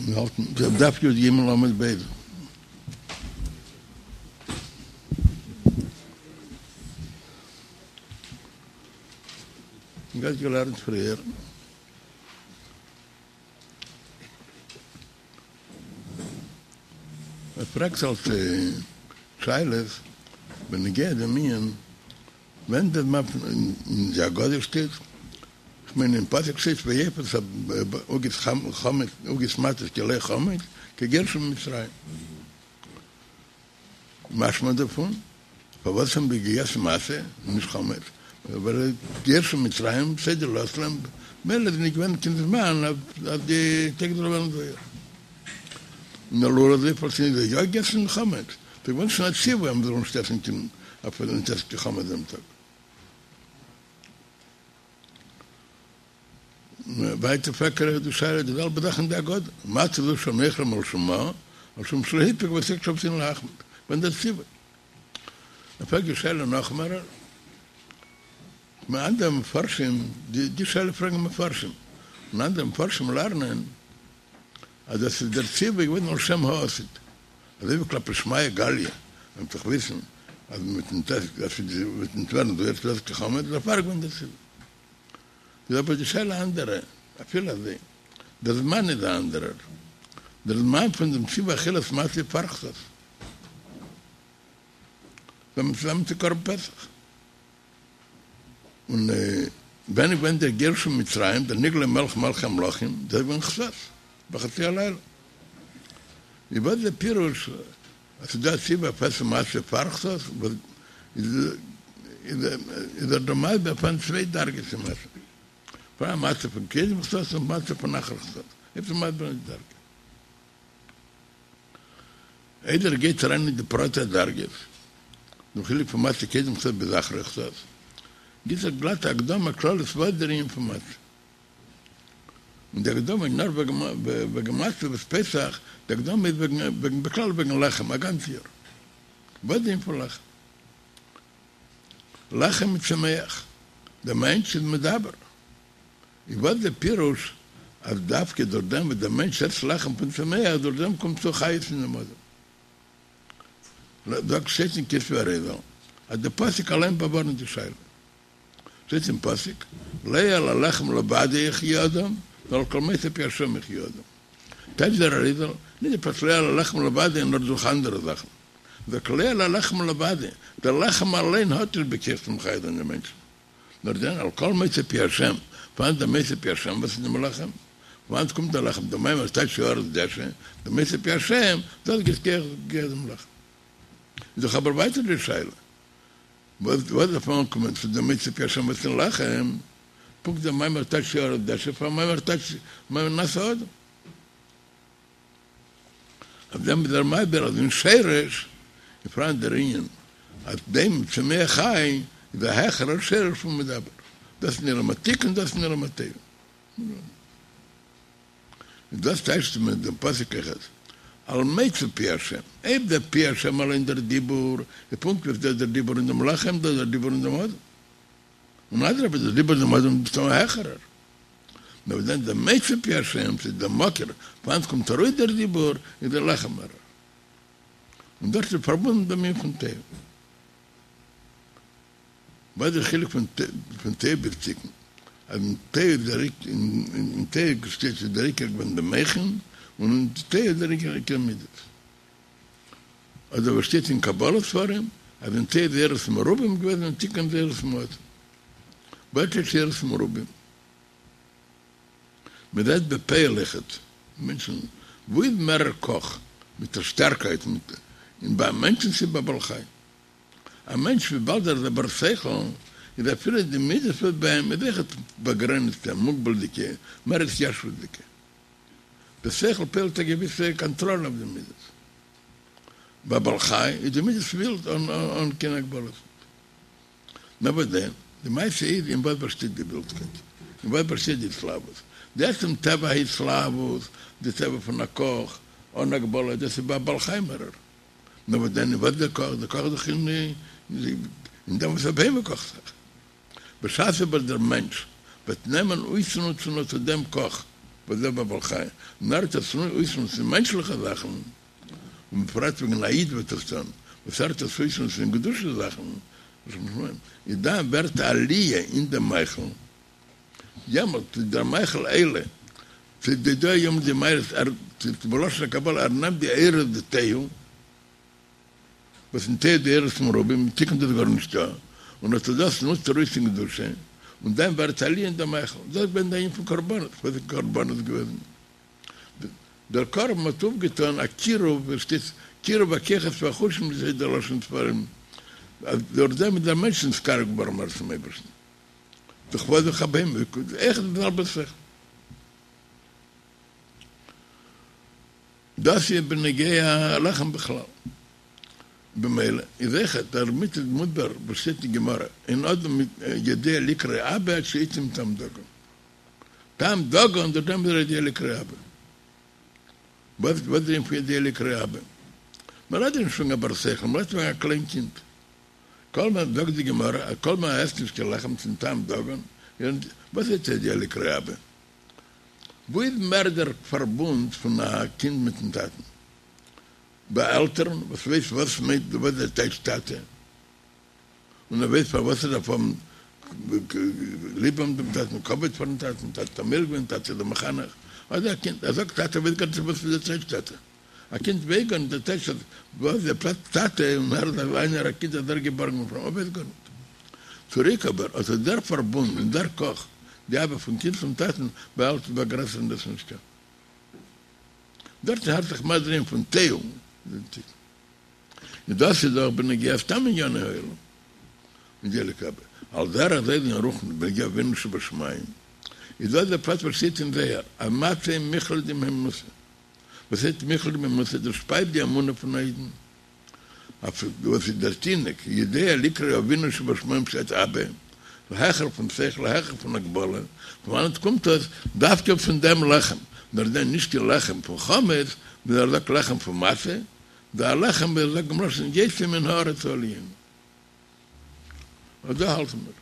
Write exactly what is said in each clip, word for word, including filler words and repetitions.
מיר האלטן דף י"ג עמוד ב'. מ'האט געלערנט פריער. ער פרעגט אלס שאלות בנוגע דעם ענין ווען דער זמן פון אין די הגדה שטייט, כ'מיין אין פסוק שטייט ויאפו את עוגות חמץ עוגות מצות כי לא חמץ כגירשם ממצרים. משמע דערפון, פארוואס האבן זיי געגעסן מצה און נישט חמץ? ווייל גירשם ממצרים סדר לא עשו להם, מילא איז נישט געווען קיין זמן אז די טייג זאל ווערן זויער. און אלא אזוי פארוואס האבן זיי יא געגעסן חמץ, ס'איז געווען שוין א ציווי אז מ'זאל נישט עסן קיין אפילו נישט עסן קיין חמץ דעם טאג. ווייטער פרעגט ער די שאלה די זעלבע זאך אין די הגדה, מצה זו שאנו אוכלים על שום מה, על שום שלא הפסיק אבותינו שאבותינו להחמיץ, ווען דער ציווי. ער פרעגט די שאלה נאך מערער, און אנדערע מפרשים, די שאלה פרעגן מפרשים, און אנדערע מפרשים לערנען אז דאס איז דער ציווי געווען על שם העתיד, אזוי ווי כלפי שמיא גליא, מען וועט דאך וויסן אז מען וועט נישט עסן, אז ס'וועט נישט ווערן זויער צו עסן קיין חמץ, דערפאר איז געווען דער ציווי. איז אבער די שאלה אנדערע, אפילו אזוי, דער זמן איז א אנדערער, דער זמן פון דעם ציווי אכילת מצה איז פאר חצות, ווען מען צוזאמען צו קרבן פסח, און ווען איז געווען דער גירוש פון מצרים, דער נגלה מלך מלכי המלכים, דאס איז געווען חצות, בחצי הלילה. איז וואס איז דער פירוש אז ס'איז דא א ציווי אויף עסן מצה פאר חצות, וואס איז ער דא מסביר פאראן צוויי דרגות אין מצה, פאראן מצה פון קודם חצות און מצה פון אחר חצות, איז ער מסביר די דרגה. איידער ער גייט אריין אין די פרטי הדרגות, דעם חילוק פון מצה קודם חצות ביז אחרי חצות, גיבט ער גלאט א הקדמה כללית וואס איז דער ענין פון מצה. און די הקדמה איז נאר וועגן מצה וואס פסח, די הקדמה איז וועגן בכלל וועגן לחם א גאנץ יאר. וואס איז די ענין פון לחם? לחם מצומח, דער מענטש איז מדבר. איז וואס די פירוש אז דווקא דורך דעם וואס דער מענטש עסט לחם פון צומח דורך דעם קומט צו חיות אין דעם אדם? זאגט שטייט אין כתבי אריזל אז די פסוק אליין באווארנט די שאלה. שטייט אין פסוק, לא על הלחם לבדו יחיה אדם, נאר על כל מוצא פי השם יחיה אדם. טייטשט דער אריזל, נישט די פשט לא על הלחם לבדו נאר דורך אנדערע זאכן. זאגט לא על הלחם לבדו, דער לחם אליין האט נישט בכח צו מחיה זיין דעם מענטשן. נאר דען על כל מוצא פי השם, פון וואנעט דער מוצא פי השם, וואס איז דעם לחם? פון וואנעט קומט דער לחם? דער מאמר טייטשט הארץ דשא, דער מוצא פי השם, דאס גיט כח דעם לחם. איז דאך אבער ווייטער די שאלה, וואס דארף מען אנקומען צו דעם מוצא פי השם וואס אין לחם, פונקט דער מאמר טייטשט הארץ דשא פאר מאמר טייטשט מאמר נעשה אדם. אויף דעם איז ער מסביר אז אין שרש איז פאראן דער ענין אז דומם צומח חי איז א העכערער שרש פון מדבר, דאס איז אין עולם התיקון דאס איז אין עולם התוהו. און דאס טייטשט מען דעם פסוק אויכעט על מוצא פי השם, אויב דער פי השם אליין דער דיבור איז פונקט ווי דער דיבור אין דעם לחם דאס דער דיבור אין דעם אדם, און אדרבה דער דיבור אין דעם אדם איז מסתמא העכערער, נאר וואס דען דער מוצא פי השם ס'איז דער מקור פון וואנעט קומט ארויס דער דיבור איז דער לחם מערער, און דאס איז פארבונדן דעם ענין פון תוהו. וואס איז דער חילוק פון תוהו ביז תיקון? אז אין תוהו איז דער אין תוהו שטייט איז דער עיקר געווען די מוחין, און אין תוהו איז דער עיקר עיקר מידות. אדער וואס שטייט אין קבלה ספרים אז אין תוהו איז אורות מרובים געוועזן אין תיקון איז אורות מועטים. וואס הייסט אורות מרובים? מען זעט בפועל אויכעט מענטשן, וואו איז מערער כח מיט א שטארקייט מיט אין ביי מענטשן צי ביי בעל חי? א מענטש וויבאלד ער איז א בר שכל, איז אפילו די מידות וואס ביי אים איז אויכעט באגרעניצטע, מוגבל'דיגע, מער התיישבות'דיגע. די שכל פועל'ט א געוויסע קאנטראל אויף די מידות. ביי בעל חי איז די מידות ווילד אן קיין הגבלות. נאר וואס דען, די מעשה איז אין וואס באשטייט די ווילדקייט? אין וואס באשטייט די התלהבות? די עצם טבע ההתלהבות, די טבע פון א כח אן הגבלה, דאס איז ביי א בעל חי מערער. נאר וואס דען, וואס דער כח? דער כח איז דאך אין אין דעם וואס א בהמה קאכט זיך. בשעת אבער דער מענטש וועט נעמען אויסנוצן אט דעם כח וואס דער בעל חי, נאר ער וועט עס אויסנוצן אין מענטשליכע זאכן, און בפרט ווען א איד וועט עס טון, וואס ער וועט עס אויסנוצן אין קדושה זאכן, איז דאן ווערט א עליה אין דעם מאכל, יעמאלט איז דער מאכל עולה, ס'איז די דא יום די מעלות, ער, בלשון הקבלה, ער נעמט די אורות דתוהו, וואס אין תוהו די אורות מרובים, אין תיקון דאס גארנישטא, און אט דאס נוצט ער אויס אין קדושה, און דאן ווערט עליה אין דעם מאכל, דאס איז געווען די ענין פון קרבנות, וואס איז קרבנות געוועזן? דער קרבן האט אויפגעטאן א קירוב, ווי עס שטייט קירוב הכוחות והחושים ווי אזוי דער לשון ספרים, אז דורך דעם איז דער מענטש נתקרב געווארן מער צום אייבערשטן, דורך וואס דורך א בהמה, אויך די זעלבע שכל. דאס איז בנוגע לחם בכלל. במילא איז אויכעט דערמיט איז מוסבר וואס שטייט אין גמרא, אין אדם יודע לקרוא אבא עד שיטעום טעם דגן. טעם דגן דורך דעם איז ער יודע לקרוא אבא. וואס איז דער ענין פון יודע לקרוא אבא? מען רעדט נישט פון א בר שכל, מען רעדט פון א קליין קינד. כל זמן זאגט די גמרא אז כל זמן ער עסט נישט קיין לחם צום טעם דגן, וואס איז יודע לקרוא אבא? וואו איז מער דער פארבונד פון א קינד מיטן טאטן? ביי עלטערן וואס ווייסט וואס מיינט וואס דער טייטש טאטע, און ער ווייסט פארוואס ער דארף האבן ליב האבן דעם טאטן, כבוד פארן טאטן, טאטע האט מוחל געווען, טאטע איז דער מחנך, אדער א קינד, ער זאגט טאטע ווייסט גארנישט וואס איז דער טייטש טאטע, א קינד ווייסט גארנישט דער טייטש וואס איז דער פלאץ טאטע, און ער איז איינער א קינד אז ער איז געבארן געווארן, ער ווייסט גארנישט. צוריק אבער אט איז דער פארבונד און דער כח, די אהבה פון קינד צום טאטן, ביי עלטערן ביי גרעסערן דאס נישטא. דארטן האלט זיך מער דער ענין פון תוהו. און דאס איז דאך בנוגע סתם ענייני העולם. יודע לקרוא אבא. על דרך זה אין רוחניות בנוגע אבינו שבשמים, איז דא דער פרט וואס שטייט אין זוהר, אז מצה מיכלא דמהימנותא. וואס הייסט מיכלא דמהימנותא? דאס שפייזט די אמונה פון א אידן. אויף וואס איז דער תינוק יודע לקרוא אבינו שבשמים בשעת אבא, העכער פון שכל, העכער פון הגבלה, פון וואנעט קומט דאס? דווקא פון דעם לחם, נאר דען נישט קיין לחם פון חמץ, נאר ער זאגט לחם פון מצה, דער לחם ווי ער זאגט דעם לשון יוצא מן הארץ העליונה. אט דא האלטן מיר.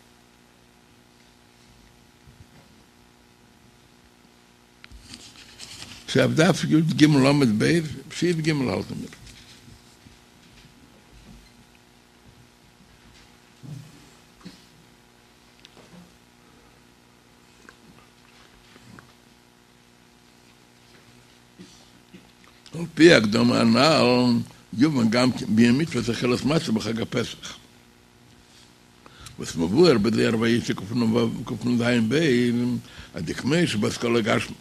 ס'איז אויף דף י"ג עמוד ב', סעיף ג' האלטן מיר. על פי הקדמה הנ"ל יובן גם כן בענין מצוות אכילת מצה בחג הפסח. וואס מבואר בזוהר ויצא קנ"ז ב' אז דכמו שבהשכלה גשמית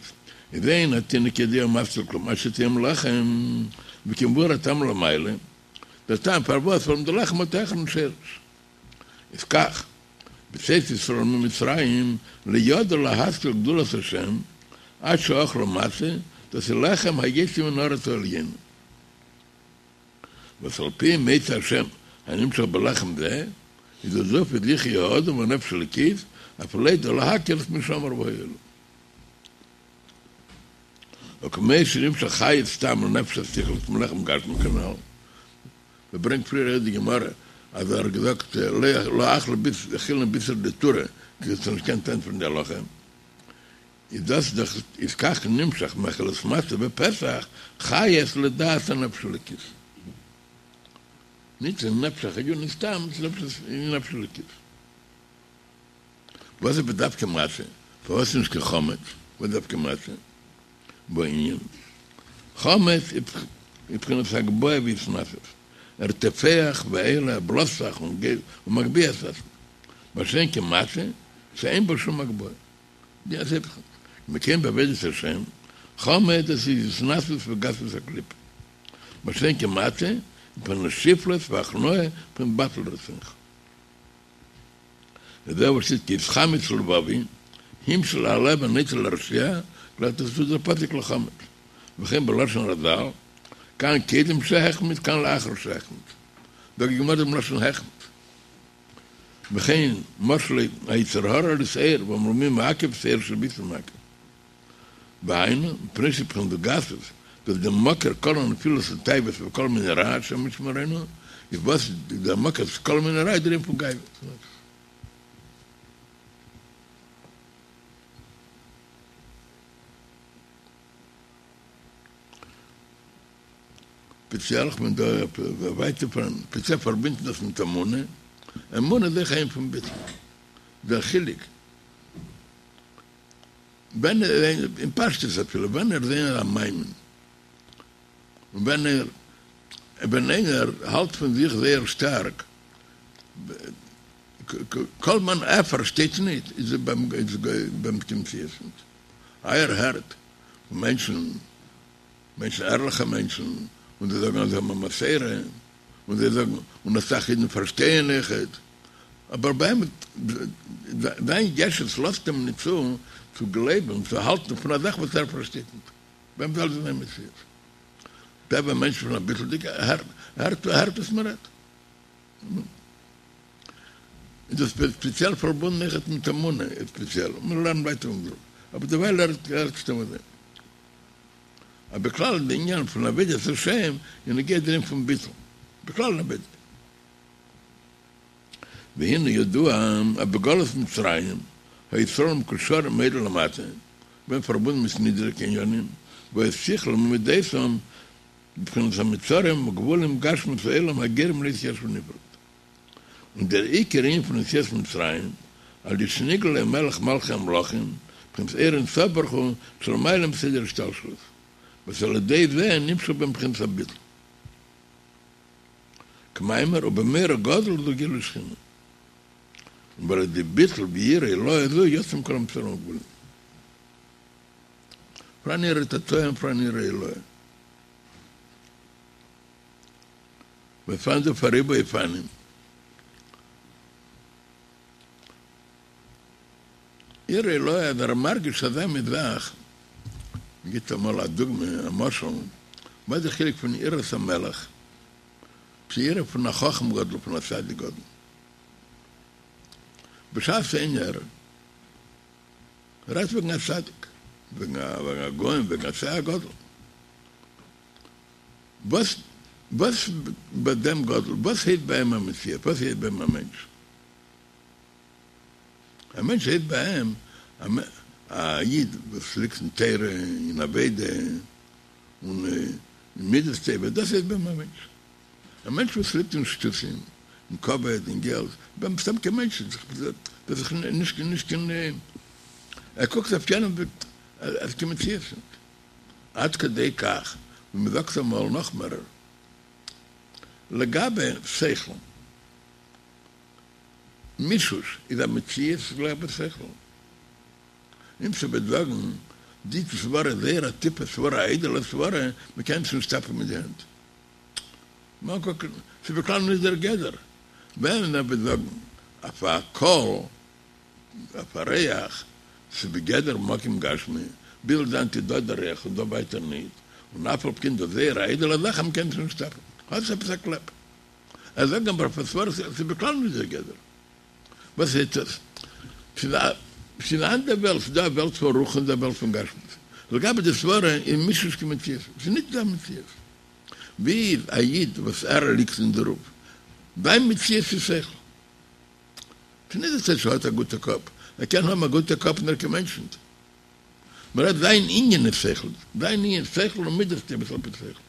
איז אין התינוק יודע ומשכיל כלום עד שטועם לחם וכמבואר הטעם למעלה דער טעם פארוואס ווארום די לחם האט העכערן שורש איז כך בצאת ישראל ממצרים לא ידעו להשכיל גדולת השם עד שאכלו מצה דאס איז לחם היוצא מן הארץ העליונה. וואס על פי מוצא השם הנמשך בלחם זה, איז דאס דאס וואס יחי האדם והנפש האלוקית, אף לידע להכיר את מי שאמר והיה לו. וכמו שנמשך חיות סתם לנפש השכלית מלחם גשמי כנ"ל, מ'ברענגט פריער אויך די גמרא אז ער האט געזאגט לא אכלי אכילנא בישרא דטורא כי זיי האבן נישט געקענט ענטפערן די הלכה, איז דאס דאך איז כך נמשך מאכילת מצה בפסח חיות לדעת הנפש האלוקית. נישט אין נפש החיונית סתם, אין נפש האלוקית. וואס איז בדווקא מצה? פארוואס נישט קיין חמץ? וואס דווקא מצה? בענין חמץ איז בחינת הגבהה והתנשאות, ער טופח ועולה, ער בלאזט זיך און גייט ומגביה את עצמו, מה שאין כן מצה שאין בו שום הגבהה. די אז היפך כמו כן בעבודת השם, חמץ דאס איז התנשאות וגסות הקליפה, מה שאין כן מצה איז בחינת שפלות והכנעה פון בטל רצונך. וזהו וואס שטייט כי התחמץ לבבי, המשיל הלב הנוטה לרשע, גלייכט דאס צו דער פסוק לחמץ, וכן בלשון רז"ל, כאן קודם שהחמיץ כאן לאחר שהחמיץ, זאגט די גמרא דעם לשון החמיץ. וכן משלו היצר הרע לשעיר ואמרו מי מעכב שעיר של ביצה מעכב והיינו מפני שבחינת גסות דאס דער מקור כל הנפילות ותאוות וכל מיני רע השם ישמרינו איז וואס דער מקור צו כל מיני רע איז דער ענין פון גאוה. ספעציעל כ'בין דא ווייטער פון ספעציעל פארבינדן דאס מיט אמונה, אמונה איז אויך א ענין פון ביטול, דער חילוק ווען אין פשטות אפילו ווען ער איז איינער א מאמין און ווען ער ווען איינער האלט פון זיך זייער שטארק כל זמן ער פארשטייט ניט איז ביי אים קיין מציאות ניט ער הערט פון מענטשן מענטשן ערליכע מענטשן און זיי זאגן אז זיי האבן א מסורה און זיי זאגן און אסאך אידן פארשטייען אויכעט אבער ביי אים זיין ישות לאזט אים ניט צו צו גלייבן צו האלטן פון א זאך וואס ער פארשטייט ניט ביי אים זאל זיין מציאות טבע מענטש פון א ביטול'דיגע הערט הערט וואס מען רעדט איז דאס ספעציעל פארבונדן אויכעט מיט אמונה ספעציעל מיר לערנען ווייטער און אבער דערווייל הערט סתם אזוי. אבער בכלל די ענין פון עבודת השם איז נוגע דער ענין פון ביטול, בכלל אין עבודה. והנה ידוע אז בגלות מצרים היו ישראל מקושרים מאוד למטה, געווען פארבונדן מיט נידריגע ענינים, והיה שכלם ומדותם בבחינת המצרים וגבולים גשמיות העולם הגורם להיות יש ונפרד. און דער עיקר ענין פון יציאת מצרים, על ידי שנגלה מלך מלכי המלכים, בחינת אור אין סוף ברוך הוא, שלמעלה מסדר השתלשלות, וואס על ידי זה נמשך בהם בחינת הביטול. כמאמר ובמורא גדול זו גילוי שכינה. און ועל ידי ביטול ויראה עילאה זו יצאו מכל המצרים והגבולים. פאראן יראה תתאה און פאראן יראה עילאה. ופאראן דא ריבוי אופנים. יראה עילאה אז ער מרגיש אזא מין זאך, מ'גיבט אמאל א דוגמא, א משל, וואס איז די חילוק פון יראת המלך צו יראה פון א חכם גדול פון א צדיק גדול? בשעת איינער רעדט וועגן א צדיק, וועגן א גאון, וועגן א צדיק גדול, וואס וואס ביי דעם גדול, וואס הייסט ביי אים א מציאות, וואס הייסט ביי אים א מענטש? א מענטש הייסט ביי אים א איד וואס ליגט אין תורה, אין עבודה, און אין מידות טובות, דאס הייסט ביי אים א מענטש. א מענטש וואס ליגט אין שטותים, אין כבוד, אין געלט, ביי אים סתם קיין מענטש נישט, דאס איז נישט נישט קיין, ער קוקט אויף יענעם ווי אז קיין מציאות נישט. עד כדי כך, ווי מען זאגט אמאל נאך מערער, לגבי שכל, מישוש איז א מציאות לגבי שכל. און מ'וועט זאגן, די סברה איז זייער א טיפע סברה, א איידעלע סברה, מען קען עס נישט טאפן מיט די הענט. ס'איז בכלל נישט דער גדר. ווען מען וועט זאגן אויף א קול אויף א ריח, ס'איז בגדר מקום גשמי, ביז דאנעט איז דא דער ריח און דא ווייטער ניט, און אף על פי כן דאס זייער א איידעלע זאך אז מ'קען עס נישט טאפן, האט עס עפעס א קלעפ. ער זאגט אבער אויף א סברא ס'איז בכלל נישט דער גדר. וואס הייסט עס? ס'איז א ס'איז א אנדער וועלט, ס'איז דא א וועלט פון רוח און ס'איז דא א וועלט פון גשמיות. לגבי די סברא איז מישוש קיין מציאות, ס'איז נישט דא א מציאות. ווי איז א איד וואס ער ליגט אין דערויף? זיין מציאות איז שכל. ס'איז נישט דאס אז ער האט א גוטע קאפ, ער קען האבן א גוטע קאפ און ער קיין מענטש נישט. מ'רעדט זיין ענין איז שכל, זיין ענין שכל און מידות טובות על פי שכל.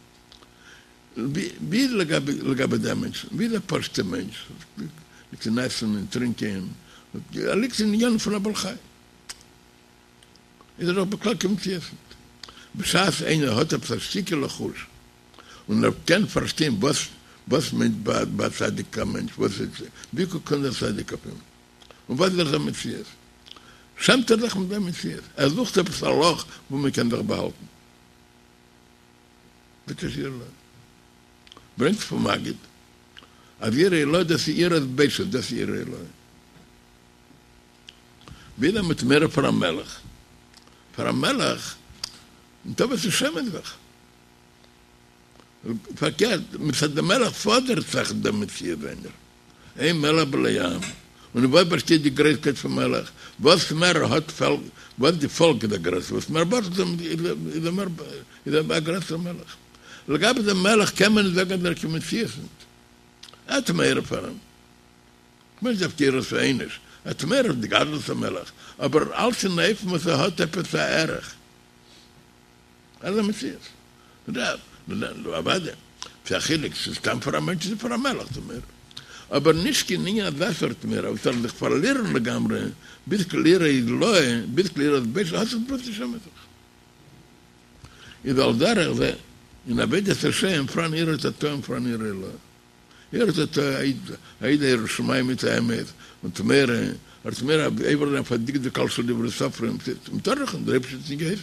ווי איז לגבי לגבי דעם מענטש, ווי איז א פשוט'ע מענטש, ליגט אין עסן און טרינקען, ער ליגט אין ענינים פון א בעל חי, איז ער דאך בכלל קיין מציאות נישט. בשעת איינער האט עפעס א שטיקעלע חוש און ער קען פארשטיין וואס וואס מיינט ביי א צדיק א מענטש, וואס איז ווי קוקט אן דער צדיק אויף אים, און וואס איז זיין מציאות, שעמט ער זיך מיט זיין מציאות, ער זוכט עפעס א לאך וואו מען קען זיך באהאלטן. דאס איז יראה עילאה. ברענגט פון מגיד אז יראה עילאה דאס איז יראת בושת, דאס איז יראה עילאה. ווי איז מ'האט מורא פאר א מלך, פאר א מלך ניטא וואס צו שעמען זיך. פארקערט, מצד דעם מלך פאדערט זיך דער מציאות זיינער, אין מלך בלא עם, און אין וואס באשטייט די גרויסקייט פון מלך, וואס מער ער האט פאלק, וואס די פאלק איז א גרעסער, וואס מער באטלט אים איז ער מער, איז ער א גרעסער מלך. לגבי דעם מלך קען מען נישט זאגן אז ער קיין מציאות ניט. ער האט מורא פאר אים. כ'מיין נישט דווקא יראת העונש, ער האט מורא פון די גדלות המלך, אבער אלץ אין אופן וואס ער האט עפעס א ערך. ער איז א מציאות. אוודאי, ס'איז א חילוק צו סתם פאר א מענטש צו פאר א מלך די מורא. אבער נישט קיין ענין אזא סארט מורא וואס ער זאל זיך פארלירן לגמרי ביז ליראה עילאה ביז ליראת בושת האט זיך פלוצים נישט מיט זיך. איז על דרך זה אין עבודת השם פאראן יראה תתאה און פאראן יראה עילאה. יראה תתאה א איד א ירא שמים מיט א אמת און האט מורא, ער האט מורא עובר זיין אויף א דקדוק קל של דברי סופרים, מ'טאר דאך נישט, דער אייבערשטער האט נישט געהייסן,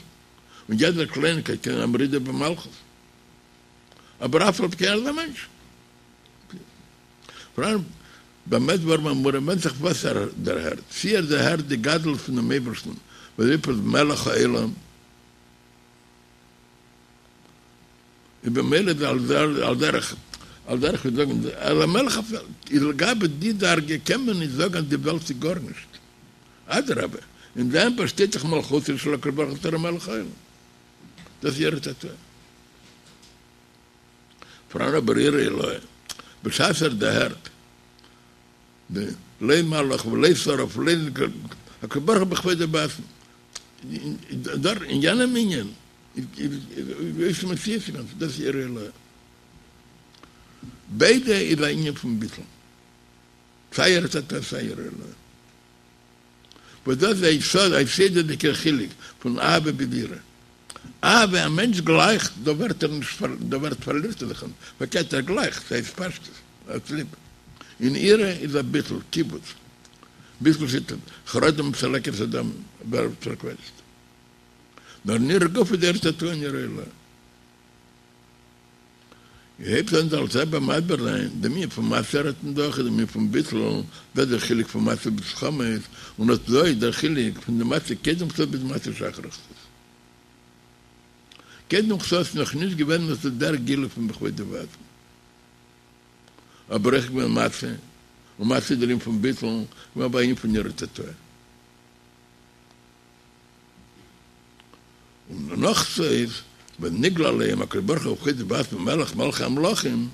און יעדער קלייניקייט קען זיין א מרידה במלכות, אבער אף על פי כן ער איז א מענטש. פאראן במה דברים אמורים ווענדט זיך וואס ער דערהערט, צי ער דערהערט די גדלות פונעם אייבערשטן וואס דער אייבערשטער איז מלך העולם, איז במילא איז על דרך על דרך ווי זאגן אז א מלך אויף וועלט איז לגבי די דרגה קען מען נישט זאגן אז די וועלט איז גארנישט אדרבה אין דעם באשטייט דאך מלכותו של הקדוש ברוך הוא בתור מלך העולם דאס איז יראה תתאה פאראן אבער יראה עילאה בשעת ער דערהערט די לא מלאך ולא שרף ולא הקדוש ברוך הוא בכבודו ובעצמו דארט אין יענעם ענין איז מציאות אינגאנצן, דאס איז יראה עילאה. ביידע איז א ענין פון ביטול, סיי יראה תתאה סיי יראה עילאה. וואס דאס איז א יסוד, א יסודות'דיגער חילוק פון אהבה ביז יראה. אהבה, א מענטש גלייכט, דא ווערט ער נישט, דא ווערט פארלירט ער זיך נישט, פארקערט ער גלייכט, ס'איז התפשטות, ער האט ליב. און יראה איז א ביטול, קיבוץ, ביטול שיטה, חרדה מצלקת אדם, ווערט פארקוועטשט. נאר אין יראה גופא איז יראה תתאה און יראה עילאה. הייבט אן דער אלטער רבי מסביר זיין דעם ענין פון מצה רעדט מען דאך איז דעם ענין פון ביטול, דאס איז דער חילוק פון מצה ביז חמץ, און אט דא איז דער חילוק פון די מצה קודם חצות ביז מצה שאחרי חצות. קודם חצות איז נאך נישט געווען אט דער גילוי פון בכבודו ובעצמו. אבער אויך געווען מצה, און מצה איז דער ענין פון ביטול, געווען אבער א ענין פון יראה תתאה. און נאך חצות ווען נגלה עליהם הקדוש ברוך הוא בכבודו ובעצמו מלך מלכי המלכים,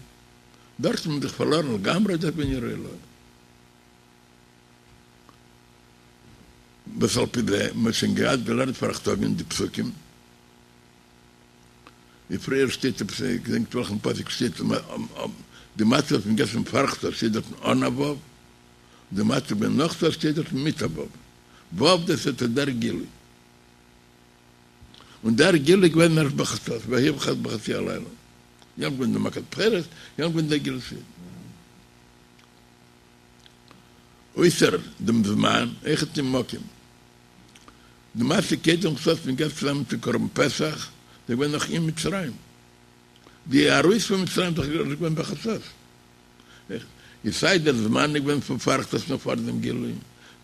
דארט האט מען זיך פארלארן לגמרי דארט געווען יראה עילאה. וואס על פי זה מען האט שוין געהאט געלערנט פאראכטאג אין די פסוקים, ווי פריער שטייט עפעס איך געדענק נישט וועלכן פסוק שטייט די מצה וואס מען געסן פאר חצות שטייט דארטן אן א ו', די מצה ווען נאך חצות שטייט דארטן מיט א ו'. ו' דאס איז דער גילוי. און דער גילוי איז געווען ערשט בחצות, ויהי בחצי הלילה. יעמאלט געווען די מכת בכורות, יעמאלט געווען דער גילוי סי'. אויסער דעם זמן, אויכעט אין מקום. די מצה קודם חצות מען געסט צוזאמען צו קרבן פסח, איז געווען נאך אין מצרים. די ארויס פון מצרים איז דאך געווען בחצות. איז סיי דער זמן איז געווען פון פאר חצות נאך פאר דעם גילוי,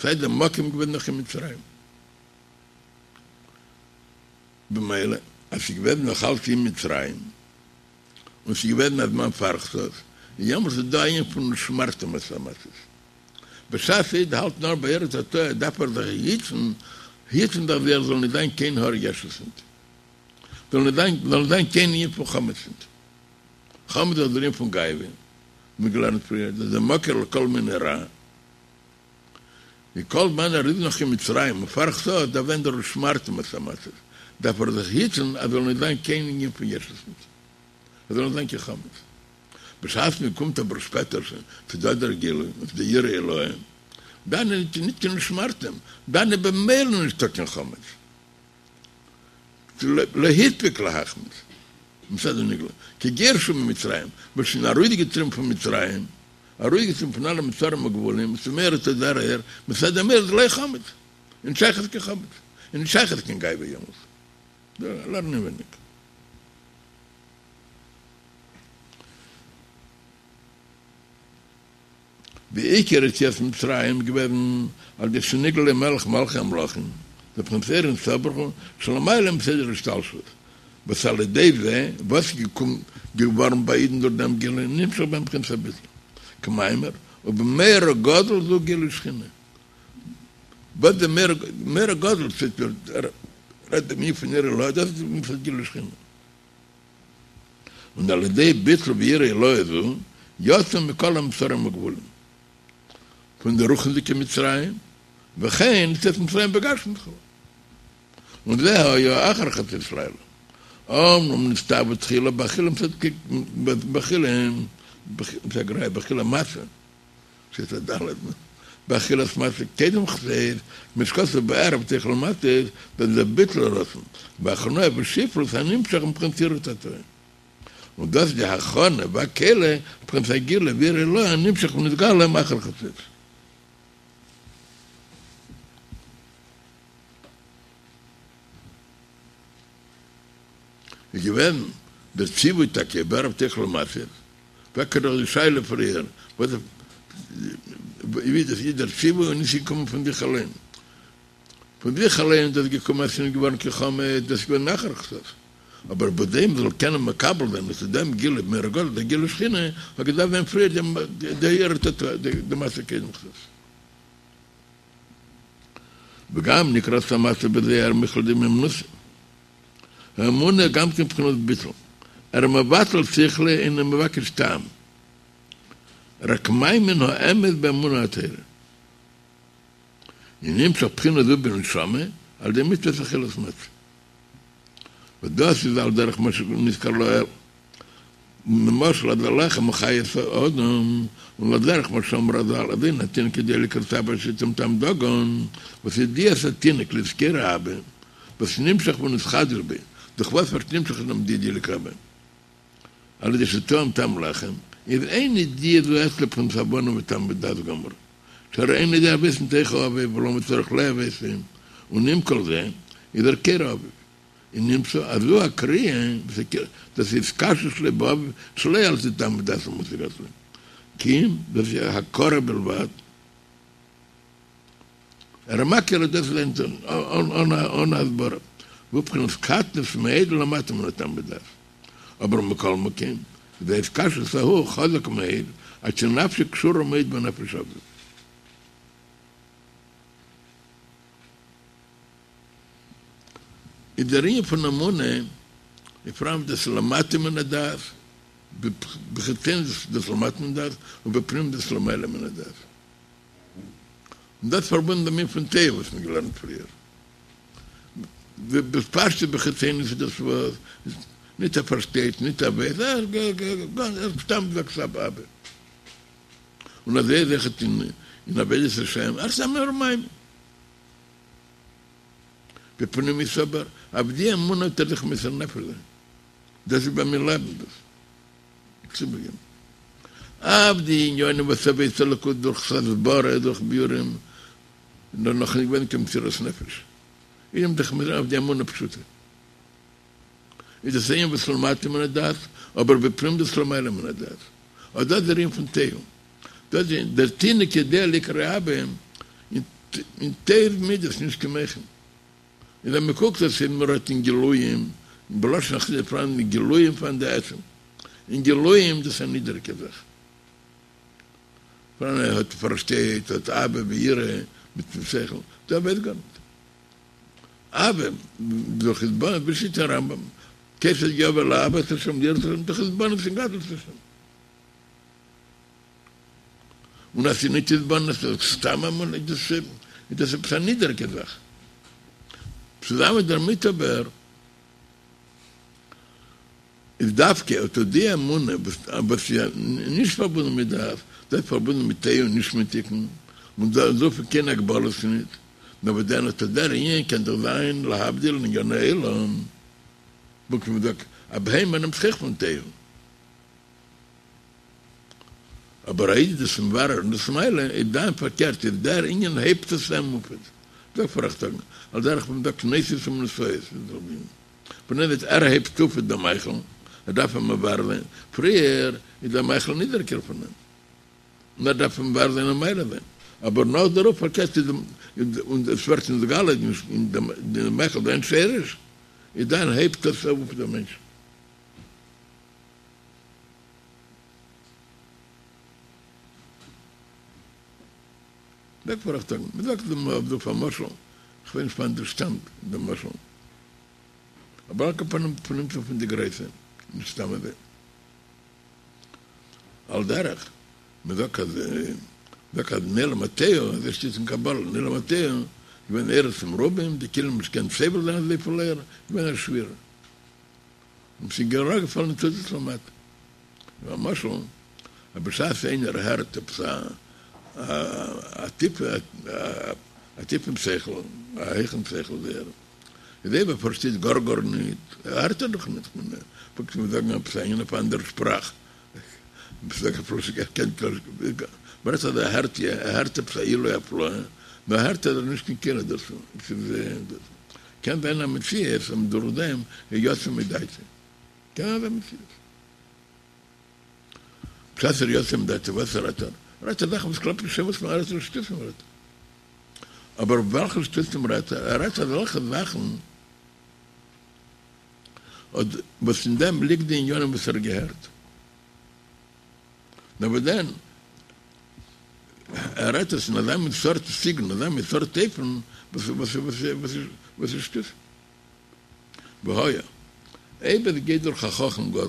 סיי דער מקום איז געווען נאך אין מצרים. במילא אז ס'איז געווען נאך אלץ אין מצרים, און ס'איז געווען א זמן פאר חצות, איז יעמאלטס איז דא א ענין פון ושמרתם את המצות. בשעת א איד האלט נאר ביי יראה תתאה דארף ער זיך היטן, היטן זיך ווי ער זאל נישט זיין קיין האר ישות ניט, זאל נישט זיין, זאל נישט זיין קיין ענין פון חמץ ניט. חמץ איז דער ענין פון גאווה, מיר געלערנט פריער, דאס איז דער מקור לכל מיני רע. ווי כל זמן ער איז נאך אין מצרים און פאר חצות דארף זיין דער ושמרתם את המצות, דארף ער זיך היטן אז זאל נישט זיין קיין ענין פון ישות ניט, עס זאל נישט זיין קיין חמץ. בשעת מען קומט אבער שפעטער שוין צו דא דער גילוי און צו די יראה עילאה, דאן איז ניט קיין ושמרתם, דאן איז במילא נישטא קיין חמץ. לא הספיק להחמיץ מצד הנגלה, כי גירשו ממצרים, מ'האט שוין ארויסגעטריבן פון מצרים, ארויסגעטריבן פון אלע מצרים וגבולים, ס'איז מאיר אט דער אור, מצד דעם אור איז לא חמץ, און נישט שייכות קיין חמץ, און נישט שייכות קיין גאווה יעמאלס. לערן אינווייניג. די עיקר יציאת מצרים איז געוועזן על ידי שנגלה מלך מלכי המלכים, דער בחינת אור אין סוף ברוך הוא שלמעלה מסדר השתלשלות, וואס על ידי זה וואס איז געווארן ביי אידן דורך דעם גילוי נמשך בהם בחינת הביטול, כמאמר ובמורא גדול זו גילוי שכינה, וואס די מורא גדול רעדט דעם ענין פון יראה עילאה דאס איז מצד גילוי שכינה. און על ידי ביטול ויראה עילאה זו, יצאו מכל המצרים וגבולים, פון די רוחניות'דיגע מצרים, וכן יציאת מצרים בגשמיות כו'. און זה היה אחר חצות לילה. אמנם נצטוו תחילה באכילה באכילה באכילה מצה שטייט א ד' באכילת מצה קודם חצות כמו שכתוב בערב תאכל מצות דאס איז דער ביטול הרצון והכנעה ושפלות הנמשך מבחינת יראה תתאה און דאס איז די הכנה והכלי לבחינת הגילוי ויראה עילאה הנמשך ונתגלה מאחר חצות. איז געווען דער ציווי טאקע בערב תאכלו מצות, פרעגט ער דאך די שאלה פריער, וואס ווי דאס איז דער ציווי און נישט געקומען פון זיך אליין, פון זיך אליין איז דאס געקומען אז ס'איז נישט געווארן קיין חמץ, דאס איז געווען נאכער חצות, אבער בכדי מ'זאל קענען מקבל זיין אט דעם גילוי מאור הגנוז דער גילוי שכינה האט געדארפט זיין פריער די יראה תתאה די מצה קודם חצות. וגם נקראת המצה בזוהר מיכלא דמהימנותא. האמונה גם כן בחינת ביטול. ער מבטל שכלו אינו מבקש טעם. רק מאמין האמת באמונה הטהורה. און נמשך בחינה זו בנשמה על ידי מצוות אכילת מצה. וואס דאס איז על דרך מה שנזכר לעיל. נמשל אז הלחם הוא חיות האדם, און על דרך מה שאמרו רז"ל אז אין התינוק יודע לקרות אבא עד שיטעום טעם דגן, וואס ידיעת התינוק לזכור אבא, וואס נמשך ונתחדש בו, דורך וואס ווערט נמשך אין אים די ידיעה לקרוא אבא? על ידי שטעם טעם לחם, איז אין ידיעה זו אצלו בחינת הבנה וטעם ודעת גמור, שהרי אינו יודע אבות מתוך אביו ולמה צריך לאבות, און עם כל זה איז ער קורא אביו. און נמצא אז זו הקריאה דאס איז התקשרות שלו באביו שלא על ידי טעם ודעת המושג אצלו כי אם דאס איז הכרה בלבד ער מכיר אז דאס איז אן הסברה והוא בחינת קטנות מאוד למטה מן הטעם ודעת אבער מכל מקום איז ההתקשרות ההוא חזק מאוד עד שנפשו קשורה מאוד בנפש אביו. איז דער ענין פון אמונה איז פאראן דאס למטה מן הדעת, בחיצוניות דאס למטה מן הדעת, און בפנימיות דאס למעלה מן הדעת. און דאס פארבונדן דעם ענין פון תוהו וואס מ'האט געלערנט פריער. בפשטות בחיצוניות איז דאס וואס ניט ער פארשטייט, ניט ער ווייס, ער סתם זאגט אבא. און אזוי איז אויכעט אין עבודת השם, ער איז א מאמין. בפנימיות אבער, אויף די אמונה האט ער זיך מוסר נפש זיין, דאס איז ביי מיר לעבן דאס צובריגען אויף די עניינים וואס עבודת אלוקות דורך הסברה דורך ביאורים איז דאך נאך נישט געווען קיין מסירות נפש, איז אים זיך מוסר אויף די אמונה פשוטה איז דאס ענין וואס למטה מן הדעת אבער בפנימיות דאס למעלה מן הדעת, אט דאס איז דער ענין פון תוהו. דאס איז דער תינוק יודע לקרוא אבא אין תוהו מידות נישט קיין מוחין. און ווען מען קוקט אויס איז מען רואה אין גילויים, בלשון החסידות פאראן די גילויים פאראן די עצם. אין גילויים דאס איז א נידעריגע זאך. פאראן ער האט פארשטייט האט אהבה ויראה מיטן שכל, דא ווייסט גארנישט. אהבה דורך התבוננות בשיטת הרמב"ם, כיצד יבא לאהבת השם ליראת השם דורך התבוננות אין גדלות השם. און אז ס'איז ניט התבוננות, ס'איז סתם אמונה, איז דאס איז דאס עפעס א נידעריגע זאך. צוזאמען דערמיט אבער איז דווקא אט אט די אמונה וואס איז נישט פארבונדן מיט דעת, דאס איז פארבונדן מיט תוהו און נישט מיט תיקון, און דארף קיין הגבלות ניט, נאר וואס דען אט אט דער ענין קען דאך זיין להבדיל אין ענייני עולם, פונקט ווי מ'זאגט א בהמה נעמט זיך אויך פון תוהו. אבער א איד איז דאס מברר און דאס מעלה איז דאן פארקערט איז דער ענין הייבט עס אים אויף זאג פארכטאגן על דרך ווען מ'זאגט נוסף אומנותו פון דעם וואס ער הייבט אויף דעם מאכל ער דארף אים מברר זיין פריער איז דער מאכל נידעריגער פון אים און ער דארף אים מברר זיין און מעלה זיין אבער נאך דערויף פארקערט איז און עס ווערט נתגלה אין דעם מאכל זיין שרש איז דאן הייבט עס אויף דעם מענטש. זאג פארכטאגן, מען זאגט דעם אויף דא פאר משל, איך ווייס נישט פון וואנעט דאס שטאמט דער משל, אבער על כל פנים פון פון די גרויסע, נישט סתם אזוי. על דרך, מען זאגט אז זאגט אז אין עולם התוהו, אזוי שטייט אין קבלה, אין עולם התוהו איז געווען אורות מרובים, די כלים נישט געקענט סובל זיין אזויפיל אור, איז געווען א שבירה. און ס'איז אראפגעפאלן ניצוצות למטה. למשל, אז בשעת איינער הערט עפעס א טיפע א טיפן שכל, א הויכן שכל זייער, איז אויב ער פארשטייט גאר גארניט, הערט ער דאך ניט, כ'מיין, פונקט ווי זאגן עפעס א ענין אויף א אנדערע שפראך, מ'רעדט אז ער הערט יא, ער הערט עפעס א עילוי הפלאה, נאר הערט ער נישט קיין כלי דערצו, ס'איז קען זיין א מציאות אז דורך דעם איז יצא מדעתו, קען זיין א מציאות. בשעת ער יצא מדעתו וואס רעדט ער? רעדט ער זאכן וואס קלאפט נישט וואס מען רעדט שטותים רעדט ער. אבער וועלכע שטותים רעדט ער? ער רעדט אזעלכע זאכן וואס אין דעם ליגט די עניינים וואס ער האט געהערט. נאר וואס דען? ער רעדט עס אין אזא מין סארט סגנון, אזא מין סארט אופן וואס איז שטותים. והיה, אויב עס גייט דורך א חכם גדול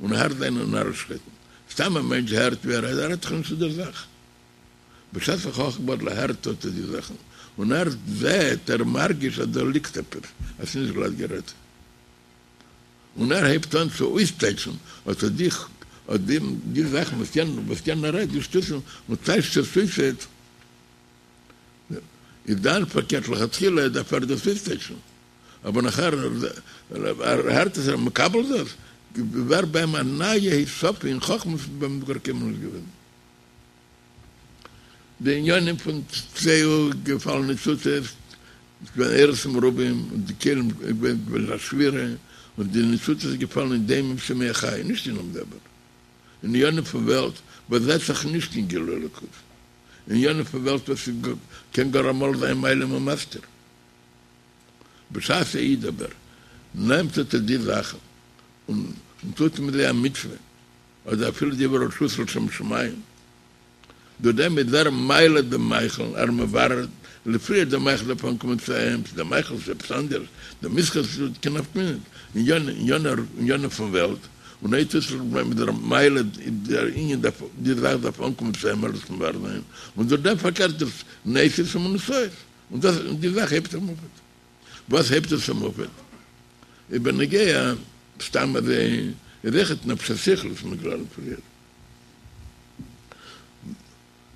און הערט זיינע נארישקייטן, סתם א מענטש הערט ווי ער רעדט, ער רעדט דאך נישט צו דער זאך. בשעת א חכם גדול הערט אט די זאכן, און ער זעט, ער מרגיש אז דא ליגט עפעס, אז ס'איז נישט גלאט גערעדט. און ער הייבט אן צו אויסטייטשן אט די אט די זאכן וואס יענער רעדט, די שטותים, און טייטשט עס אויס, איז דאן פארקערט לכתחילה דארף ער דאס אויסטייטשן, אבער נאכער ער הערט עס ער איז מקבל דאס, ווערט ביי אים א נייע הוספה אין חכמה וואס איז ביי אים גאר קיינמאל נישט געווען. די עניינים פון צאו געפאלן ניצוצות, איז געווען אורות מרובים און די כלים איז געווען א שבירה, און די ניצוצות איז געפאלן אין דומם צומח חי, נישט אין עולם דבר, אין עניינים פון וועלט וואס זעט זיך נישט אין גילוי אלוקות. עניינים פון וועלט וואס קען גאר אמאל זיין מעלים ומסתיר. בשעת א איד אבער נעמט אט די זאכן און טוט מיט זיי א מצוה, אדער אפילו דברי רשות לשם שמים, דורך דעם איז ער מעלה דעם מאכל, ער מברר לפריער דער מאכל דארף אנקומען צו אים, צו דער מאכל איז עפעס אנדערש, דער מסחר איז קיין נפקא מינה ניט, עניינים פון וועלט, און אויב טוט זיך מיט דער מעלה דער ענין דארף די זאך דארף אנקומען צו אים ער זאל עס מברר זיין, און דורך דעם פארקערט דאס נעשית ומנושאות, און דאס און די זאך הייבט אים אויף. וואס הייבט עס אים אויף? איז בנוגע סתם אזוי איז אויכעט נפש השכלית וואס מ'האט געלערנט פריער.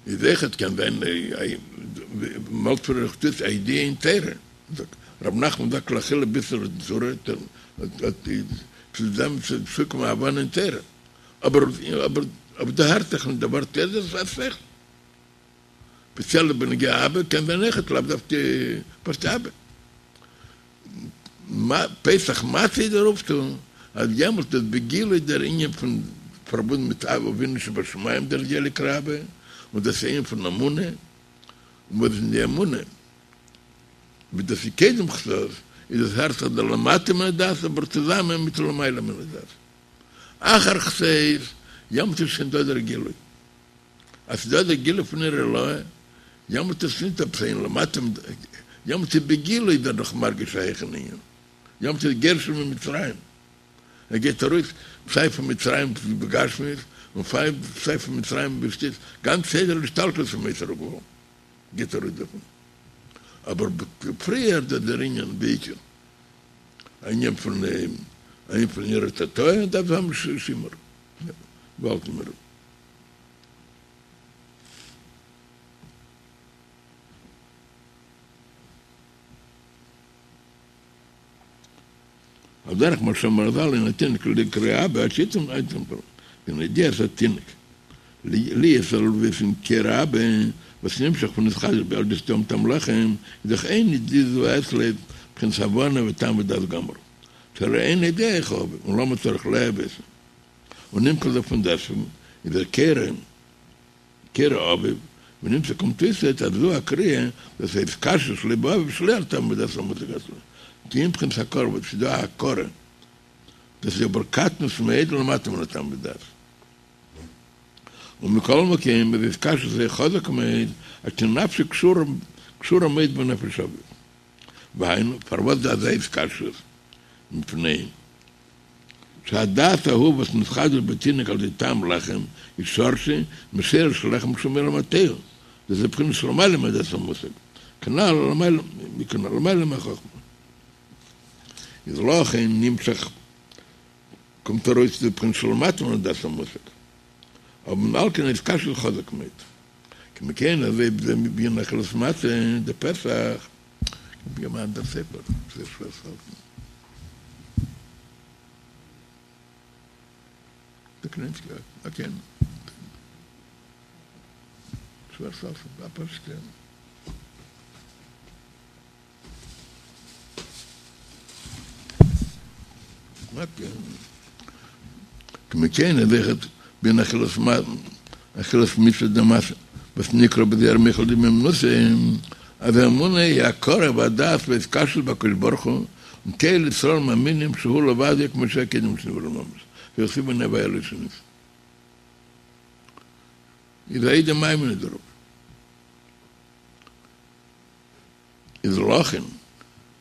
איז אויכעט קען זיין מ'האלט פריער איך טוט א ידיעה אין תורה זאגט רב נחמן זאגט לאכילה בישרא דצורא צו דעם צו צוקומען הבנה אין תורה אבער אבער אבער דא הערט זיך נישט די ווארט איז א שכל ספעציעל בנוגע אהבה קען זיין אויכעט לאו דווקא פשוט אהבה. פסח מצה איז דער אויפטו אז יעמאלט איז בגילוי דער ענין פון פארבונדן מיט אבינו שבשמים דער ילק רבה און דאס ענין פון אמונה און וואס אין די אמונה ווי דאס איז קודם חצות איז עס הערט זיך דער למטה מן הדעת אבער צוזאמען מיט למעלה מן הדעת אחר חצות יעמאלט איז שוין דא דער גילוי. אז ס'איז דא דער גילוי פון אור עילאה, יעמאלט איז ניט עפעס אין למטה, יעמאלט איז בגילוי איז ער דאך מרגיש א העכערן ענין, יעמאלט איז גירשו ממצרים, ער גייט ארויס סיי פון מצרים בגשמיות און סיי פון מצרים בשטות, גאנץ סדר השתלשלות פון מוסר הגבול גייט ארויס דערפון, אבער פריער דאס דער ענין בעיקר, א ענין פון א ענין פון יראה תתאה דארף האבן שימור, וואלטן מיר. על דרך מה שאמרו רז"ל אין התינוק קרוי אבא עד שיטעום פון ידיעת התינוק להיות זאל וויסן קורא אבא וואס נמשך פון נתחדש בו על ידי שטעם טעם לחם איז דאך אין ידיעה זו אצלו בחינת הבנה וטעם ודעת גמור שהרי אין יודע איך האב און למה צריך לאהוב און נמשך דערפון דעסוועגן איז ער קורא קורא אביו ונמצא קומט אויס אז זו הקריאה דאס הייסט התקשרות שלו באביו שלא על טעם ודעת המושג אצלו כי אם בחינת הכרה וואס איז דא א הכרה דאס איז אבער קטנות מאוד למטה מן הטעם ודעת ומכל מקום איז התקשרות זו חזק מאוד עד שנפשו קשורה מאוד בנפש אביו והיינו פארוואס דא אזא התקשרות מפני שהדעת ההוא וואס נתחדש בתינוק על ידי טעם לחם איז שורשו משורש לחם שהוא מעולם התוהו, דאס איז בחינת שלמעלה מדעת המושג, כנ"ל למעלה מהחכמה. איז לכן נמשך קומט ארויס די בחינה שלמטה מן הדעת המושג, אבער על כן התקשרות חזק מאוד. כמו כן אזוי בענין אכילת מצה דפסח, ווי אן אנדער ספר, זייער שווער צו האלטן. די קליינטשיגע, אקעי. שווער צו האלטן, א פשוטע. כמו כן איז אויכעט בענין אכילת אכילת מצוה דמצה וואס נקרא בזוהר מיכלא דמהימנותא אז האמונה היא הכרה והדעת והתקשרות בהקדוש ברוך הוא און כל ישראל מאמינים שהוא לבדו כמו שהיה קודם שנבראו ממש והכתיב אני הוי' לא שניתי איז א איד מאמין דערויף. איז לכן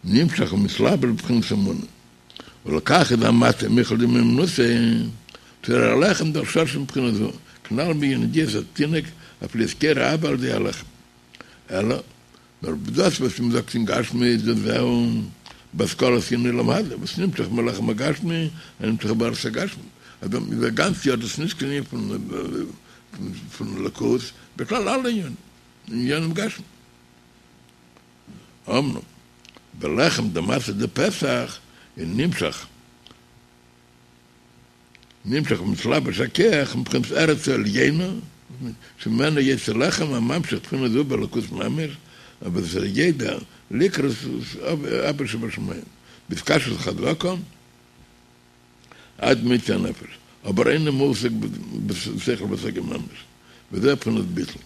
נמשך ומתלבש בבחינת אמונה, ולכך איז המצה מיכלא דמהימנותא, שהרי הלחם דאך שורשו מבחינה זו, כנ"ל בענין ידיעת התינוק אויף להיות קורא אבא על ידי הלחם. אלא, נאר דאס וואס מ'זאגט אין גשמיות דאס זהו בהשכלת ענין עולם הזה, וואס נמשך מלחם הגשמי הנמשך בארץ הגשמית, אז א גאנץ יאר דאס נישט קיין ענין פון אלוקות, בכלל אלע ענינים, ענינים גשמיים. אמנם בלחם דמצה דפסח איז נמשך נמשך ומתלבש הכח מבחינת ארץ העליונה שממנה יצא לחם הממשיך בחינה זו באלוקות ממש, אבער דאס איז ידע לקרות אבא שבשמים בהתקשרות חזקה עד מיצוי הנפש, אבער אינו מושג בשכל והשגה ממש, וזה בחינת ביטול.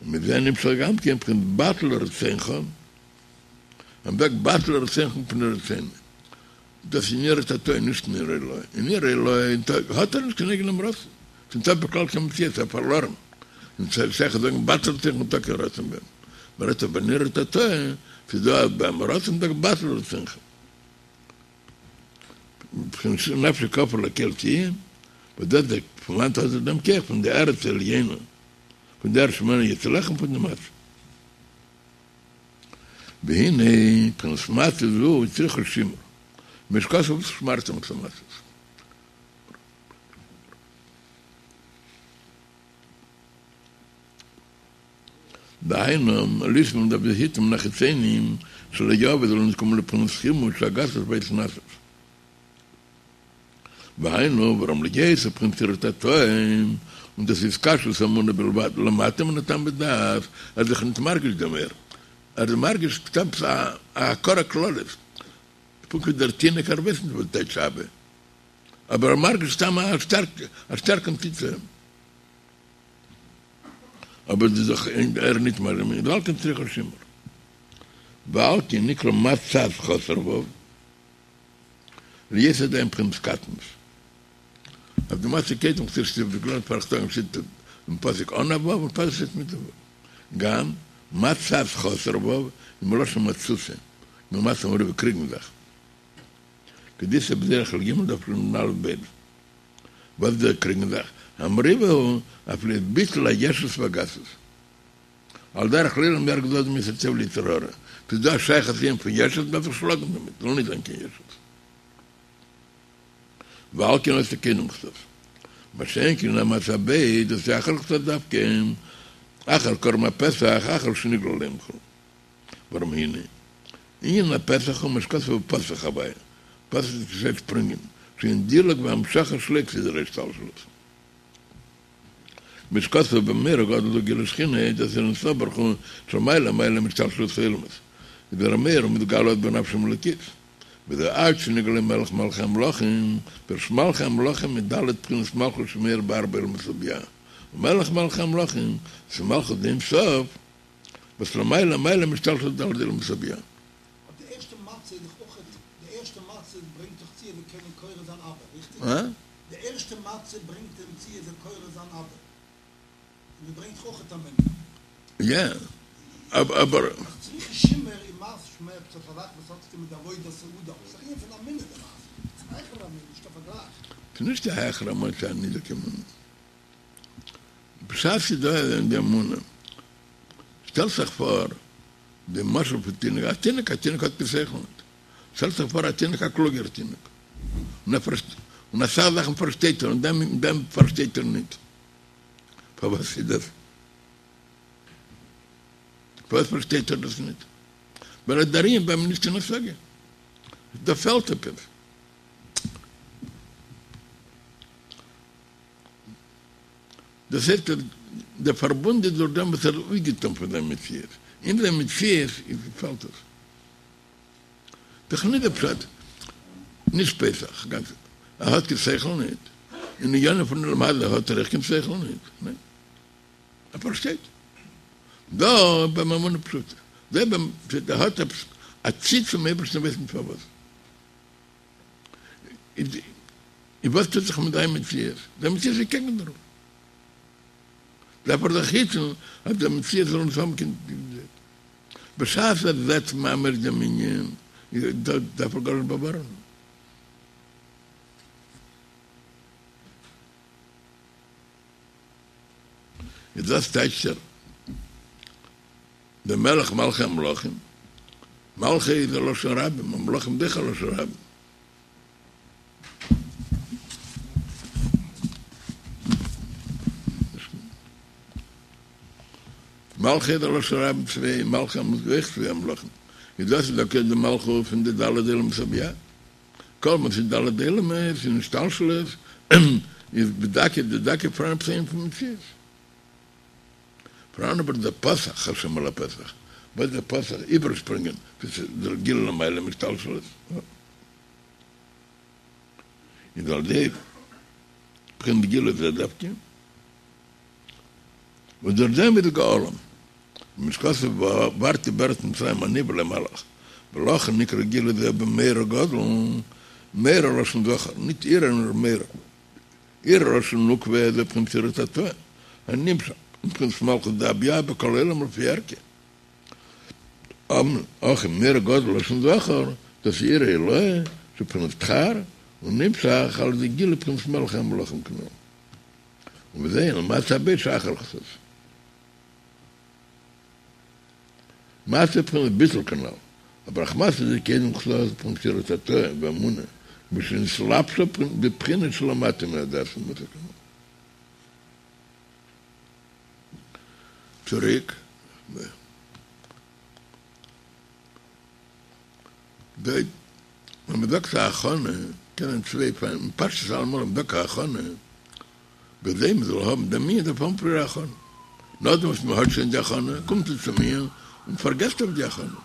ומזה נמשך גם כן בחינת בטל רצונך, מען זאגט בטל רצונך מפני רצונו, דאס איז אין יראה תתאה נישט אין יראה עילאה, אין יראה עילאה האט ער נישט קיין אייגענעם רצון, ס'נישטא בכלל קיין מציאות, ער איז פארלארן, און ס'איז שייך זאגן בטל רצונך ניטא קיין רצון ביי אים, מען רעדט אבער אין יראה תתאה, ס'איז דא ביי אים רצון זאגט בטל רצונך. בחינת נפשי כעפר לכל תהיה, וואס דאס דער פון וואנעט האט ער דעם כח פון די ארץ העליונה, פון די ארץ שממנה יצא לחם פון די מצה. והנה בחינת מצה זו הצריכה שימור, כמו שכתוב ושמרתם את המצות. דהיינו, לשמור מ'דארף זיך היטן מן החיצונים שלא יבוא זאל נישט קומען לבחינת חימוד שהגסות וההתנשאות. והיינו, ווארום להיות בבחינת יראה תתאה, און דאס איז התקשרות אמונה בלבד, למטה מן הטעם ודעת, ער איז זיך נישט מרגיש דעם אור, ער איז מרגיש סתם א הכרה כללית, פונקט ווי דער תינוק ער ווייסט נישט וואס טייטש אבא, אבער ער מרגיש סתם א שטארקן צי צו אים. אבער דאס איז דאך ער ניט מרגיש, ועל כן צריכה שימור. ועל כן נקרא מצת חסר ו' להיות עדיין בחינת קטנות. אויף די מצה קודם כתיב שטייט בגלוי פארכטאגן שטייט אין פסוק אן א ו' און פסוק שטייט מיט א ו'. גם מצת חסר ו' איז מלשון מצותא, כמו מצה ומריבה קריגן זיך. כדאיתא בזוהר חלק ג' דף נ"א ב'. וואס איז דער קריגן זיך? המריבה הוא אויף להיות ביטול הישות והגסות. על דרך לעולם ירגיז אדם יצר טוב ליצר הרע. ס'איז דא א שייכות ענין פון ישות מ'דארף זיך שלאגן דערמיט, זאל נישט זיין קיין ישות. ועל כן היתה קודם חצות. מה שאין כן המצה הב' דאס איז אחר חצות דווקא, אחר קרבן הפסח, אחר שנגלה עליהם כו'. ווארום הנה, ענין הפסח הוא מה שכתוב ופסח הוי', פסח איז געשעט שפרינגען, שהוא דילוג והמשכה שלא כסדר ההשתלשלות. כמו שכתוב במאורע גדול הוא גילוי שכינה, דאס איז אין סוף ברוך הוא שלמעלה מעלה מהשתלשלות העולמות, איז דער המאיר ומתגלה עוד בנפש האלוקית, וזה עד שנגלה מלך מלכי המלכים, פירוש מלכי המלכים מיט ד' בחינות מלכות שמאיר בארבע עולמות הבי"ע, ומלך מלכי המלכים, ס'איז מלכות דאין סוף, וואס למעלה מעלה מהשתלשלות ד' עולמות הבי"ע. אבער די ערשטע מצה איז דאך אויך, די ערשטע מצה ברענגט דאך צו ער זאל קענען קורא זיין אבא, ריכטיג? די ערשטע מצה ברענגט אים צו ער זאל קורא זיין אבא, און דאס ברענגט דאך אויך אמונה. יא, אבער. אז צריכה שימור איז משמע עפעס א זאך וואס האט צוטון מיט עבודת האדם, ס'איז א ענין פון אמונה די מצה, ס'איז א העכערע אמונה, נישט קיין פארגלייך. ס'איז נישט א העכערע אמונה, ס'איז א נידריגע אמונה. בשעת ס'איז דא די אמונה, שטעל זיך פאר די משל פון תינוק, א תינוק, א תינוק האט קיין שכל ניט, שטעל זיך פאר א תינוק א קלוגער תינוק, און ער און אסאך זאכן פארשטייט ער און דעם דעם פארשטייט ער ניט. פארוואס איז דאס? פארוואס פארשטייט ער דאס ניט? ווייל ער דער ענין ביי אים נישט קיין השגה. דא פעלט עפעס. דאס הייסט אז דער פארבונד איז דורך דעם וואס ער איז אויפגעטון פון זיין מציאות, אין זיין מציאות איז פעלט עס. דאך נישט דער פשט, נישט פסח, גאנץ ער האט קיין שכל ניט, אין ענינים פון עולם הזה האט ער אויך קיין שכל ניט, ניין, ער פארשטייט דא ביי אים אמונה פשוטה, דא ביים פשוט ער האט עפעס א צי צום אייבערשטן ווייס נישט פארוואס. איז וואס טוט זיך מיט זיין מציאות? זיין מציאות איז קעגן דערויף. דארף ער זיך היטן אז דער מציאות זאל נישט האבן קיין בשעת ער זעט ממש דעם ענין, דארף ער גארנישט באווארענען. איז דאס טייטשט ער דער מלך מלכי המלכים, מלכי איז א לשון רבים, המלכים איז אויך א לשון רבים. מלכי איז א לשון רבים צוויי, מלכי המלכים אויך צוויי המלכים. איז דאס איז דוקא די מלכות פון די ד' עולמות הבי"ע. כל מה ס'איז ד' עולמות אין השתלשלות איז בדקות דדקה פאראן עפעס אן ענין פון מציאות. פאראן אבער דער פתח השם על הפתח, וואס דער פתח איבערשפרינגען ווי ס'איז דער גילוי למעלה מהשתלשלות, איז על ידי בחינת גילוי זה דווקא, וואס דורך דעם איז גאלם, כמו שכתוב ועברתי בארץ מצרים אני ולא מלאך, ולכן נקרא גילוי זה במורא גדול, מורא לשון זכר, ניט יראה נאר מורא. יראה לשון נוקבא זה בחינת יראה תתאה, הנמשך מבחינת מלכות דבי"ע בכל עולם לפי ערכה. הכא מורא גדול לשון זכר, דאס איז יראה עילאה, שבבחינת דכר, און נמשך על ידי גילוי בחינת מלך המלכים כנ"ל. ובזה אין מצה הב' שאחר חצות. מצה בחינת ביטול כנ"ל, אבער אויך מצה זו קודם חצות בחינת יראה תתאה ואמונה, כמו שנתלבשה בבחינה שלמטה מהדעת ומושג כנ"ל. צוריק, ווען מ'זאגט א הכנה, קענען צוויי פעמים, פשטות אלעמאל ווען מ'זאגט א הכנה, בכדי מ'זאל האבן דעם ענין דארף האבן פריער הכנה. נאכדעם וואס מ'האט שוין די הכנה, קומט מען צום ענין און פארגעסט אויף די הכנה.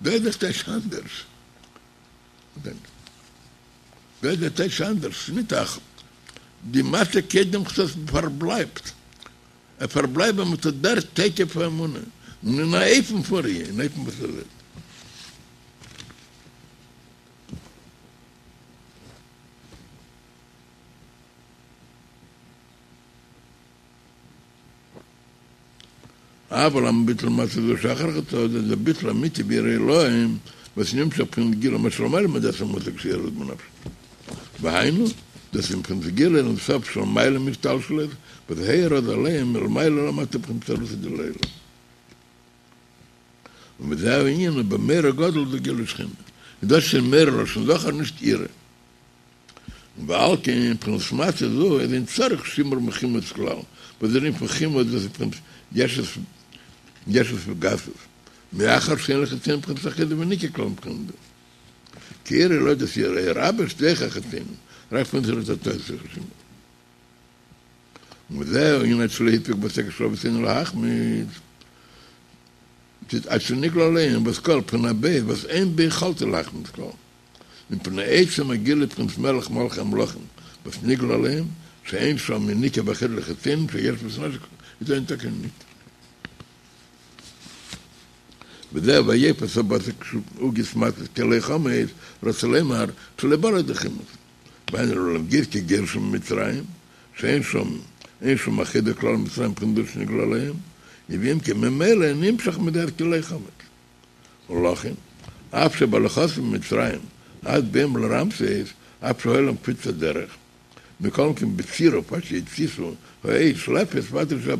דא איז דער טייטש אנדערש. דא איז דער טייטש אנדערש, ס'איז נישט א די מצה קודם חצות פארבלייבט. ער פארבלייבט ביי אים דער תוקף האמונה, און אין א אופן פון ראי', אין אופן וואס ער זעט. אבל למה ביטול מצה זו שאחר חצות זה ביטול אמיתי ביראה עילאה וואס נמשך בבחינת גילוי מה שלמעלה מדעת ומושג שירד בנפש והיינו דאס איז בבחינת גילוי אין סוף שלמעלה מהשתלשלות וואס האיר אז עליהם מלמעלה למטה בבחינת אתערותא דלעילא ובזה הענין ובמורא גדול זה גילוי שכינה איז דאס שוין מורא לשון זכר נישט יראה. ועל כן בחינת מצה זו איז אין צריך שימור מחימוץ כלל, וואס דער ענין פון חימוץ דאס איז בחינת ישות ישות וגסות, מאחר שאין לחיצונים בחינת אחיזה וניקור כלל מבחינה זו. כי יראה עילאה דאס יראה רבה שדוחה החיצונים, רק בחינת יראה תתאה צריך שימור. וזהו ענין עד שלא הפיק בצקת של אבותינו להחמיץ, עד שנגלה עליהם וואס כל בחינה ב' וואס אין ביכולתו להחמיץ כלל. מפני עצם הגילוי בחינת מלך מלכי המלכים וואס נגלה עליהם שאין שם יניקה ואחיזה לחיצונים שיש בו איז אין טאקע ניט וזהו ויפס הבשר עוגת מצות כי לא חמץ רוצה לומר שלא בא לידי חימוץ והיינו להדגיש כי גירשם ממצרים שאין שם אין שם אחיזה כלל במצרים מבחינה זו שנגלה עליהם ואם כן ממילא נמשך מזה כי לא חמץ ולכן, אף שבהליכתם ממצרים עד בואם לרעמסס, אף שהיה להם קפיצת דרך, מכל מקום בצירוף עד שהתסיסו האש לפת ודאי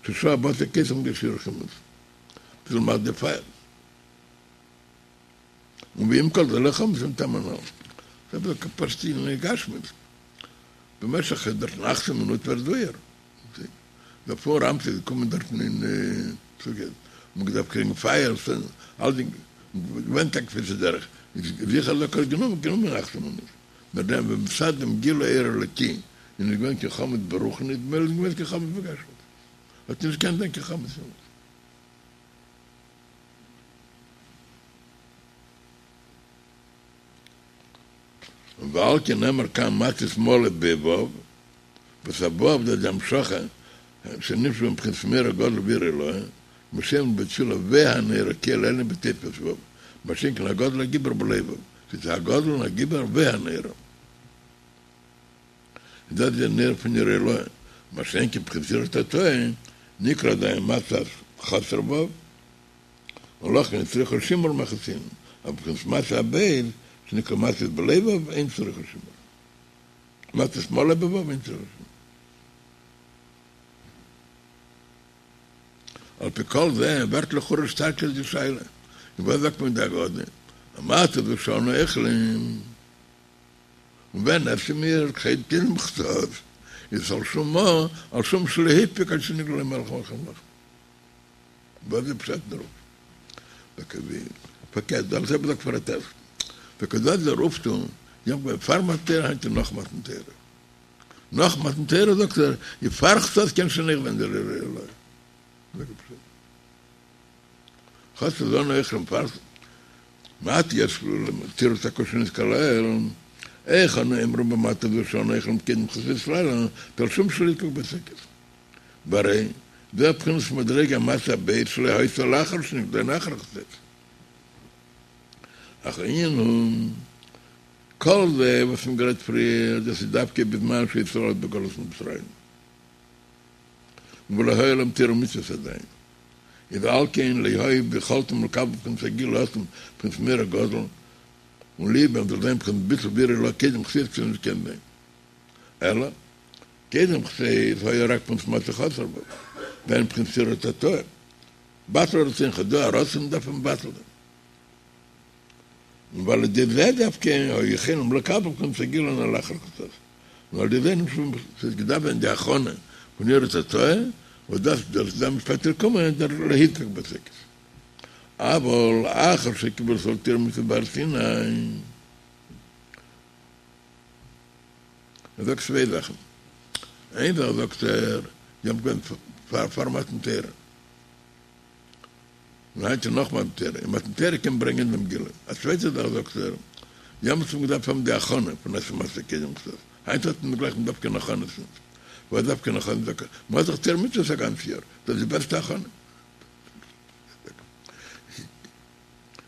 ששהה הבשר קודם לידי שיעור חימוץ. ביז למד די פייער. און ועם כל זה לא חמץ מטעם הנ"ל. ס'איז דאך פשוט אין גשמיות. במשך דארטן אַכצן מינוט ווערט זויער. דער פון רמסי איז געקומען דארטן אין סוכות, מ'האט געדארפט קריגן פייער, אלדינג, געווען טאקע קפיצת דרך, איז זיכער אז האט גענומען גענומען אַכצן מינוט, נאר דעם ווען מצד דעם גילוי אור אלוקי איז נישט געווען קיין חמץ ברוחניות, במילא איז נישט געווען קיין חמץ בגשמיות, האט נישט געקענט זיין קיין חמץ אין אונז. ועל כן נאמר כאן מצות מלא בו', וואס א ו' דאס די המשכה שנמשך בבחינת מאור הגדול ויראה עילאה, כמו שאומרים בתפילה והנורא קל עליון בתוספת ו', מה שאין כן הגדול הגיבור בלא ו', ס'איז הגדול און הגיבור והנורא. איז דאס די נר פון יראה עילאה, מה שאין כן בבחינת יראה תתאה נקרא עדיין מצות חסר ו', ולכן צריכה שימור מכעיסין, אבער בבחינת מצה הב' שנקרא מצות בלא ו' אין צריכה שימור. מצות מלא בו' אין צריכה שימור. על פי כל זה ווערט לכאורה שטארקער די שאלה, און וואס זאגט מען די הגדה? המצה הזו שאנו אוכלים, און ווען עסן מיר קודם חצות, איז על שום מה? על שום שלא הפסיק עד שנגלה מלך מלכי המלכים. וואס איז פשט דערויף? פארקערט, דער אלטער רבי זאגט פאר א טעסט, וכדאי דער אויפטו, יום כיפור פאר מתן תורה היינט איז נאך מתן תורה. נאך מתן תורה זאגט ער, איז פאר חצות קען שוין אויך זיין דער יראה עילאה. חצות זאלן אויך שוין פאר מעט יש תירוץ הקושיות כולל, איך אנו אומרים במצה זו שאנו אוכלים קודם חצות לילה, על שום שלא הפסיק בצקת. והרי זה בחינת מדרגה מצה ב' שלא היתה לאחר שנגלה לאחר חצות. אך העניין הוא, כל זה וואס מ'האט גערעדט פריער, דאס איז דווקא בזמן שישראל עוד בגלות מצרים, ולא היה להם תורה ומצוות עדיין. איז על כן לא היה ביכולתם לקבל בחינת הגילוי עצמו בחינת מאור הגדול, און להיות בהם זאל זיין בחינת ביטול ויראה עילאה קודם חצות צו נישט קען זיין. אלא קודם חצות היה רק בחינת מצה חסר ו', דהיינו בחינת יראה תתאה, בטל רצונך דא א רצון דארף מען מבטל זיין. און ועל ידי זה דווקא היו יכולים לקבל בחינת הגילוי הנ"ל לאחר חצות. און על ידי זה נמשך ס'האט געדארפט זיין די הכנה פון יראה תתאה, וואס דאס דאס איז שפעטער קומען דער לא הפסיק בצקת. אבל אחר שקיבלו ישראל תורה ומצוות בהר סיני. ער זאגט צוויי זאכן, איין זאך זאגט ער, זיי האבן געווען פאר פאר מתן תורה, און היינט איז נאך מתן תורה, און מתן תורה קען ברענגען דעם גילוי. א צווייטע זאך זאגט ער, יעמאלטס האט מען געדארפט האבן די הכנה פון עסן מצה קודם חצות, היינט האט מען גלייך מ'דארף קיין הכנות נישט. וואס דארף קיין הכנות? מען האט דאך תורה ומצוות א גאנץ יאר, דאס איז די בעסטע הכנה.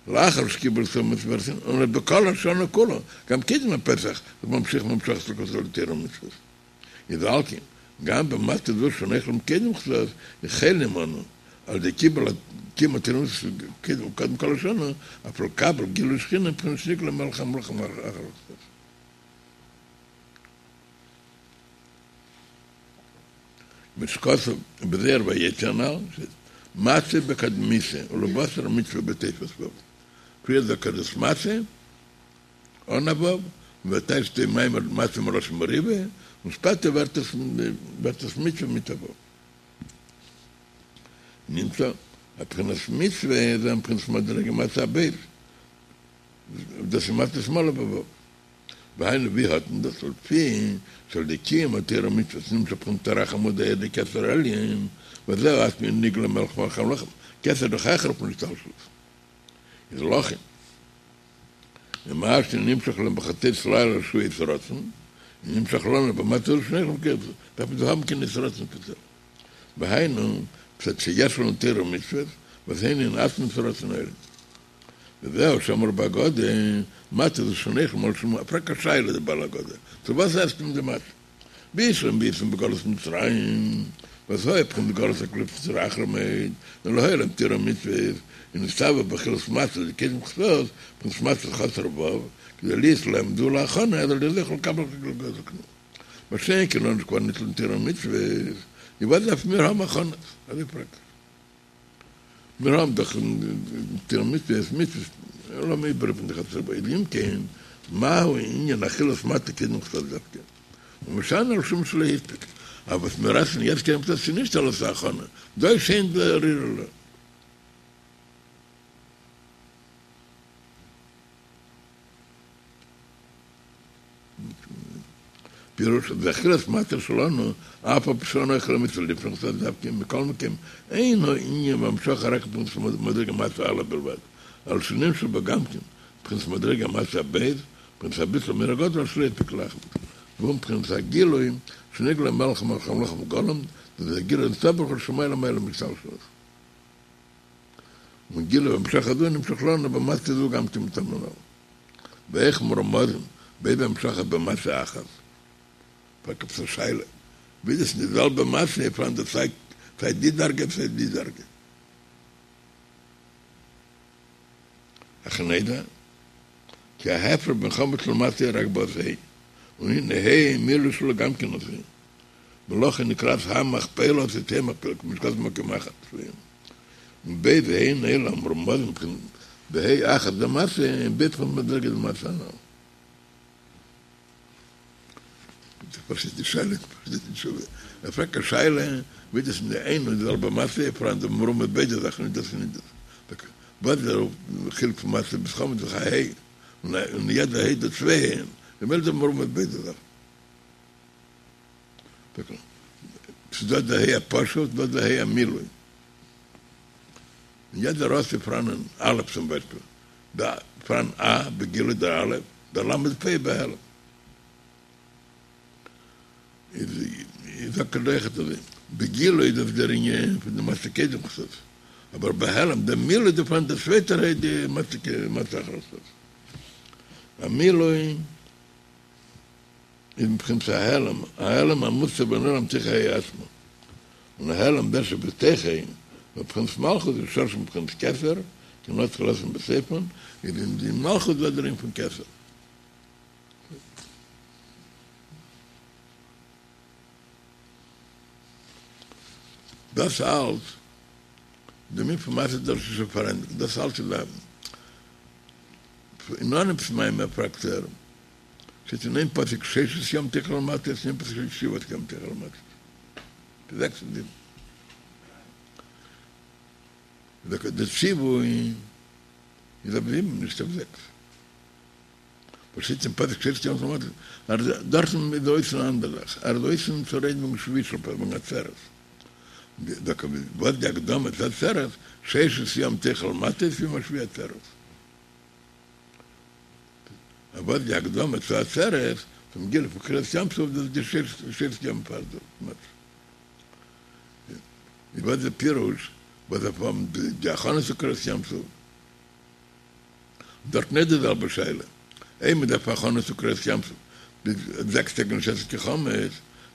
לאחר שקיבלו ישראל מצוות בהר סיני, און בכל השנה כולה, גם קודם הפסח, איז ממשיך המשכת אלקות לתורה ומצוות. איז על כן, גם במצה זו שאנו אוכלים קודם חצות, יכולים אנו, על ידי קיבול קיום התורה ומצוות קודם קודם כל השנה, אף לקבל גילוי שכינה בבחינת שנגלה מלך המלכים אחר חצות. כמו שכתוב בזוהר ויצא הנ"ל, מצה בקדמיתא ולבתר מצוה בתוספת ו'. פריער זאגט ער דאס מצה אן א ו', און טייטשט די מאמר מצה מלשון מריבה, און שפעטער ווערט עס ווערט עס מצוה מיט א ו'. נמצא אז בחינת מצוה איז אין בחינת מדרגה מצה הב', דאס איז מצות מלא בו'. והיינו ווי האט מען דאס לפי שעל ידי קיום התורה ומצוות נמשך בחינת תר"ך עמודי אור דכתר עליון וזהו עצמו נגלה מלך מלכי המלכים כתר דאך העכער פון השתלשלות איז לכן ומה שנמשך להם בחצות לילה שהוא עת רצון נמשך לנו במצה זו שאנו אוכלים דארף מען האבן קיין עת רצון ספעציעל והיינו מצד שיש לנו תורה ומצוות וואס הן הן עצמות רצון העליון. וזהו שאמרו בהגדה, מצה זו שאנו אוכלים על שום, פרעגט א שאלה דער בעל הגדה, צו וואס עסט מען די מצה? בשלמא בהיותם בגלות מצרים, וואס היה בחינת גלות הקליפות וסטרא אחרא מאוד, און לא היה להם תורה ומצוות, און נצטוו באכילת מצה דקודם חצות, בחינת מצה חסר ו', כדי להיות להם זו להכנה, אז על ידי זה יוכלו לקבל גילוי כנ"ל. מה שאין כן לנו שכבר ניתנו תורה ומצוות, איז וואס דארף מיר האבן הכנות? אזוי פרעגט ער. מיר האבן דאך תורה ומצוות, מצוות, לאמיר איבערהיפן די חצר ביי אם כן, מהו ענין אכילת מצה קודם חצות דווקא, ומשנה על שום שלא הספיק, אבער וואס מיר עסן יעצט קודם חצות איז נישט אלס א הכנה, דא איז שוין די. פירוש, אז אכילת מצה שלנו, אף על פי שאנו אוכלים מצה לפני חצות דווקא, מכל מקום, אין הענין והמשכה רק מבחינת מדרגה מצה א' בלבד, אלא שנמשך בה גם כן, בחינת מדרגה מצה ב', בחינת הביטול מאור הגדול שלא הספיק להחמיץ, והוא בחינת הגילוי שנגלה מלך מלכי המלכים בגולם, וזה הגילוי אין סוף ברוך הוא שלמעלה מעלה מהשתלשלות. און גילוי והמשכה זו נמשך לנו במצה זו גם כן מטעם הנ"ל. ואיך מרומזים ביידע המשכות במצה אחת? פרעגט עפעס א שאלה, ווי דאס אין די זעלבע מצה איז פארהאן די סיי סיי די דרגה סיי די דרגה. אך נדע כי ההפרש בין חמץ למצה רק באות ה', והנה ה' מילוי שלו גם כן אות ה', ולכן נקראת המכפלה אותיות ה' מכפלה, כמו שכתוב במקום אחר. און ב' ה' אלו המרומזים בה' אחת דמצה הם ב' בחינות מדרגה דמצה הנ"ל. פשוט די שאלה, פשוט די תשובה. ער פרעגט א שאלה, ווי דאס אין די איין און די זעלבע מצה, פאראן די מרומז ביידע זאכן, נישט דאס און נישט דאס. וואס איז דער חילוק פון מצה ביז חמץ איז דאך א ה', און יעדע ה' איז דא צוויי ה'ן, ממילא איז דא מרומז ביידע זאכן. ס'איז דא די ה' הפשוט, דא די ה' המילוי. אין יעדער אות איז פאראן אן א' צום ביישפיל, דא פאראן א בגילוי דער א', דער למד פ' בהעלם. איז איז זאגט ער אויכעט אזוי, בגילוי איז דאס דער ענין פון די מצה קודם חצות, אבער בהעלם דער מילוי איז דא פאראן דער צווייטער ה' די מצה מצה אחר חצות. המילוי איז מבחינת ההעלם, ההעלם המוסתר והנעלם תוך הה' עצמו, און ההעלם זה שבתוך ה', מבחינת מלכות איז שורשו מבחינת כתר, כי נתחיל לעשות בסופן, איז אין די מלכות דא דער ענין פון כתר. דאס אלץ, דער ענין פון מצה דאס איז שוין פארענדיגט, דאס אלץ איז א, אין אנהייב מאמר פרעגט ער, שטייט אין איין פסוק ששת ימים תאכל מצות, אין איין פסוק שטייט שבעת ימים תאכל מצות. זעקס און זיבן. דער ציווי איז אויף זיבן, נישט אויף זעקס. וואס שטייט אין פסוק ששת ימים תאכל מצות, דארטן איז אויסן אן אנדערע זאך, ער איז אויסן צו רעדן וועגן שביעי של פסח, וועגן עצרת. וואס די הקדמה צו עצרת, ששת ימים תאכל מצות וביום השביעי עצרת. אבער די הקדמה צו עצרת, צום גילוי פון קריעת ים סוף, דאס איז די ששת ימים פאר די מצות. איז וואס די פירוש וואס דארף האבן די הכנה צו קריעת ים סוף? דארט נישט די זעלבע שאלה. אויב מען דארף הכנה צו קריעת ים סוף ביז זעקס טעג נישט עסן קיין חמץ,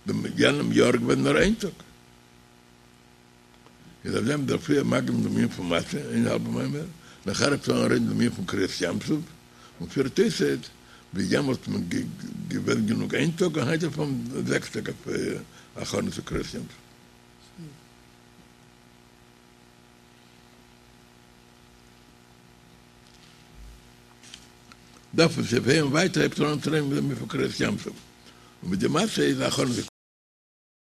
דעם יענעם יאר איז געווען נאר איין טאג. איז אויף דעם דארף פריער מקדים דעם ענין פון מצה איין האלבע מאמר, נאכער הייבט אן רעדן דעם ענין פון קריעת ים סוף, און פירט אויס ווי יעמאלט איז מען געווען גענוג איין טאג און היינט דארף מען זעקס טעג אויף הכנה צו קריעת ים סוף. דארף מען סעיף ה' און ווייטער הייבט ער אן צו רעדן דעם ענין פון קריעת ים סוף, און מיט די מצה איז הכנה צו